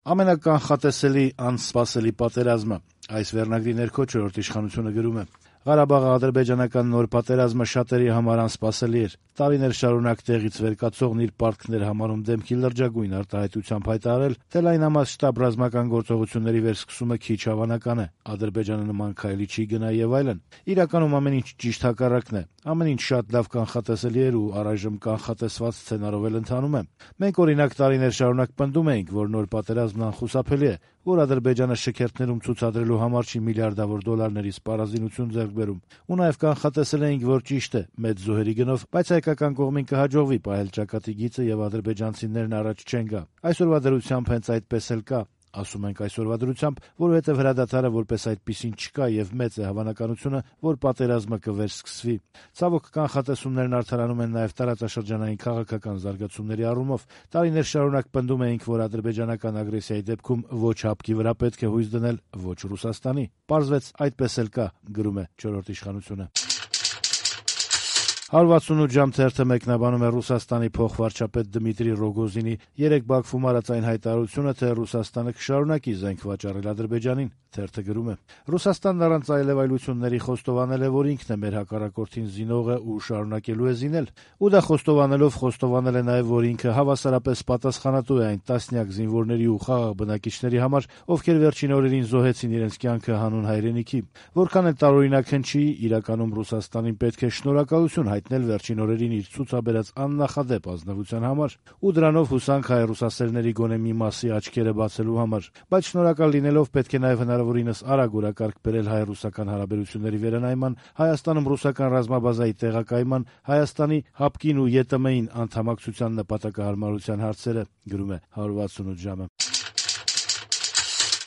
Ամենականխատեսելի անսպասելի պատերազմը։ Այս վերնագրի ներքո «Չորրորդ իշխանությունը» գրում է. Ղարաբաղի ադրբեջանական նոր պատերազմը շատերի համար անսպասելի էր։ Տարիներ շարունակ տեղից վեր կացողն իր պարտքներ համարում դեմքի լրջագույն արտահայտությամբ հայտարարել, թե լայնամասշտաբ ռազմական գործողությունների վերսկսումը քիչ հավանական է, Ադրբեջանը նման քայլի չի գնա եւ այլն։ Իրականում ամեն ինչ ճիշտ հակառակն է։ Ամեն ինչ շատ լավ կանխատեսելի էր ու առայժմ կանխատեսված սցենարով էլ ընթանում է։ Մենք օրինակ տարիներ շարունակ պնդում էինք, որ նոր պատերազմն անխուսափելի է, որ Ադրբեջանը շքերթներում ցուցադրելու համար չի միլիարդավոր դոլարների սպառազինություն ձեռք բերում։ Ու նաեւ կանխատեսել էինք, որ ճիշտ է, մեծ զոհերի գնով, բայց հայկական կողմին կհաջողվի պահել ճակատի գիծը եւ ադրբեջանցիներն առաջ չեն գա։ Այսօրվա դրությամբ հենց այդպես էլ կա։ Ասում ենք այսօրվա դրությամբ, որովհետև հրադադարը որպես այդպիսին չկա եւ մեծ է հավանականությունը, որ պատերազմը կվերսկսվի։ Ցավոք կանխատեսումներն արդարանում են նաեւ տարածաշրջանային քաղաքական զարգացումների առումով։ Տարիներ շարունակ պնդում էինք, որ ադրբեջանական ագրեսիայի դեպքում ոչ հապկի վրա պետք է հույս դնել, ոչ Ռուսաստանի։ Պարզվեց այդպես էլ կա, գրում է «Չորրորդ իշխանությունը»։ 168 ժամ թերթը մեկնաբանում է Ռուսաստանի փոխվարչապետ Դմիտրի Ռոգոզինի երեկ Բաքվում արած այն հայտարարությունը, թե Ռուսաստանը կշարունակի զենք վաճառել Ադրբեջանին։ Թերթը գրում է. Ռուսաստանն առանց այլևայլությունների խոստովանել է, որ ինքն է մեր հակառակորդին զինողը ու շարունակելու է զինել։ Ու դա խոստովանելով խոստովանել է նաև, որ ինքը հավասարապես պատասխանատու է այն տասնյակ զինվորների ու խաղաղ բնակիչների համար, ովքեր վերջին օրերին զոհեցին իրենց կյանքը հանուն հայրենիքի։ Որքան էլ տարօրինակ հնչի, իրականում Ռուսաստանին պետք է շնորհակալություն հայտնել վերջին օրերին իր ցուցաբերած աննախադեպ ազնվության համար ու դրանով հուսանք հայ ռուսասերների գոնե մի մասի աչքերը բացելու համար, բայց շնորհակալ լինելով պետք է նաև հնարավորինս արագ օրակարգ բերել հայ-ռուսական հարաբերությունների վերանայման, Հայաստանում ռուսական ռազմաբազայի տեղակայման, Հայաստանի հապկին ու ԵՏՄ-ին անդամակցության նպատակահարմարության հարցերը, գրում է 168 ժամը։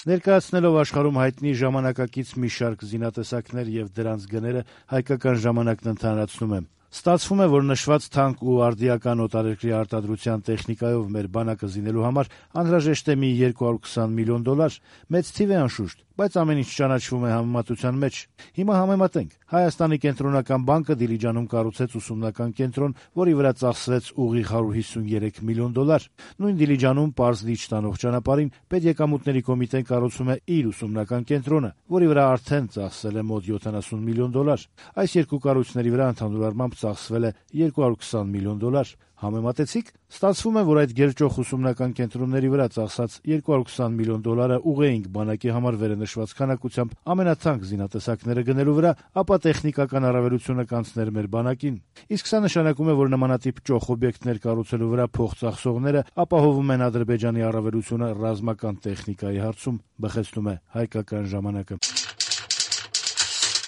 Ներկայացնելով աշխարհում հայտնի ժամանակակից մի շարք զինատեսակներ եւ դրանց գները, հայկական ժամանակն ընդհանրացնում է. Ստացվում է, որ նշված թանկ ու արդիական օտարերկրի արտադրության տեխնիկայով մեր բանակը զինելու համար անհրաժեշտ է մի 220 միլիոն դոլար։ Մեծ թիվ է անշուշտ, բայց ամեն ինչ ճանաչվում է համեմատության մեջ։ Հիմա համեմատենք։ Հայաստանի կենտրոնական բանկը Դիլիջանում կառուցեց ուսումնական կենտրոն, որի վրա ծախսվեց ուղիղ 153 միլիոն դոլար։ Նույն Դիլիջանում պարզ լիճ տանող ճանապարհին պետեկամուտների կոմիտեն կառուցում է իր ուսումնական կենտրոնը, որի վրա արդեն ծախսել է մոտ 70 միլիոն դոլար։ Այս երկու կառույցների վրա ընդհանուր առմամբ ծախսվել է 220 միլիոն դոլար։ Համեմատեցիք, ստացվում է, որ այդ գերճոխ ուսումնական կենտրոնների վրա ծախսած 220 միլիոն դոլարը ուղեինք բանակի համար վերնշված քանակությամբ ամենաթանկ զինատեսակները գնելու վրա, ապա տեխնիկական առավելությունը կանցներ մեր բանակին։ Իսկ սա նշանակում է, որ նմանատիպ ճոխ օբյեկտներ կառուցելու վրա փող ծախսողները ապահովում են Ադրբեջանի առավելությունը ռազմական տեխնիկայի հարցում, բխեցնում է հայկական ժամանակը։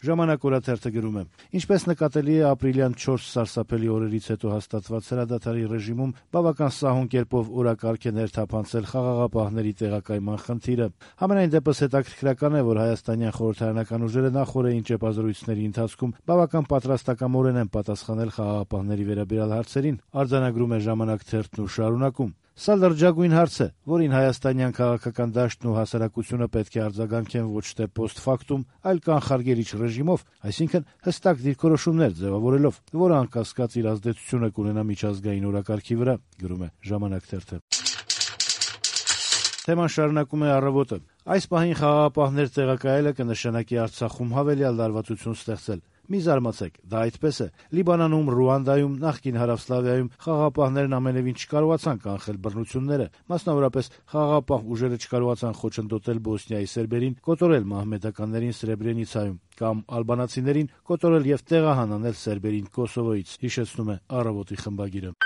Ժամանակ օրաթերթը գրում է. Ինչպես նկատելի է ապրիլյան 4 սարսափելի օրերից հետո հաստատված հրադադարի ռեժիմում բավական սահուն կերպով օրակարգ է ներթափանցել խաղաղապահների տեղակայման խնդիրը։ Համենայն դեպս հետաքրքրական է, որ հայաստանյան խորհրդարանական ուժերը նախորդային ճեպազրույցների ընթացքում բավական պատրաստակամորեն են պատասխանել խաղաղապահների վերաբերյալ հարցերին, արձանագրում է Ժամանակ թերթն ու շարունակում. Սա լրջագույն հարց է, որին հայաստանյան քաղաքական դաշտն ու հասարակությունը պետք է արձագանքեն ոչ թե post-factum, այլ կանխարգելիչ ռեժիմով, այսինքն հստակ դիրքորոշումներ ձևավորելով, որը անկասկած իր ազդեցությունը կունենա միջազգային օրակարգի վրա, գրում է Ժամանակ թերթը։ Թեման շարունակում է Առավոտը. Այս պահին խաղաղապահներ տեղակայելը կնշանակի Արցախում հավելյալ լարվածություն ստեղծել։ Մի զարմացեք, դա այդպես է։ Լիբանանում, Ռուանդայում, նախկին Հարավսլավիայում խաղաղապահներն ամենևին չկարողացան կանխել բռնությունները, մասնավորապես խաղաղապահ ուժերը չկարողացան խոչընդոտել Բոսնիայի սերբերին, կոտորել մահմեդականներին Սրեբրենիցայում կամ ալբանացիներին կոտորել եւ տեղահան անել սերբերին Կոսովոյից, հիշեցնում է Առավոտի խմբագիրը։